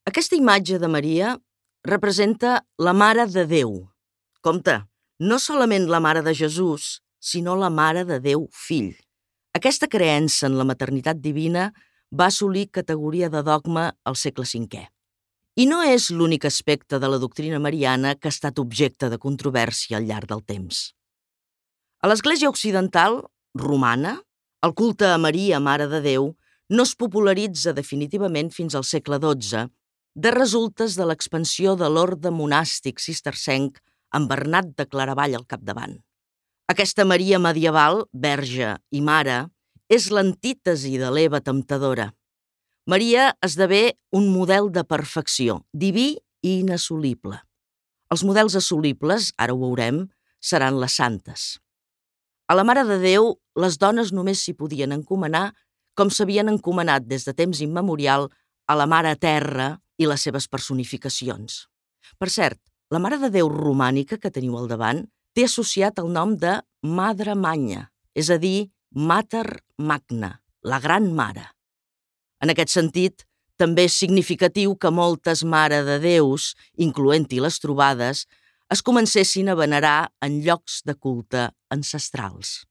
Aquesta imatge de Maria representa la Mare de Déu. Compte, no solament la Mare de Jesús, sinó la Mare de Déu Fill. Aquesta creença en la maternitat divina va assolir categoria de dogma al segle V. I no és l'únic aspecte de la doctrina mariana que ha estat objecte de controvèrsia al llarg del temps. A l'Església Occidental, romana, el culte a Maria, Mare de Déu, no es popularitza definitivament fins al segle XII, de resultes de l'expansió de l'orde monàstic cistercenc amb Bernat de Claravall al capdavant. Aquesta Maria medieval, verge i mare, és l'antítesi de l'Eva temptadora. Maria esdevé un model de perfecció, diví i inassolible. Els models assolibles, ara ho veurem, seran les santes. A la Mare de Déu, les dones només s'hi podien encomanar com s'havien encomanat des de temps immemorial a la Mare Terra i les seves personificacions. Per cert, la Mare de Déu romànica que teniu al davant té associat el nom de Madre Magna, és a dir, Mater Magna, la Gran Mare. En aquest sentit, també és significatiu que moltes Mare de Déus, incloent-hi les trobades, es comencessin a venerar en llocs de culte ancestrals.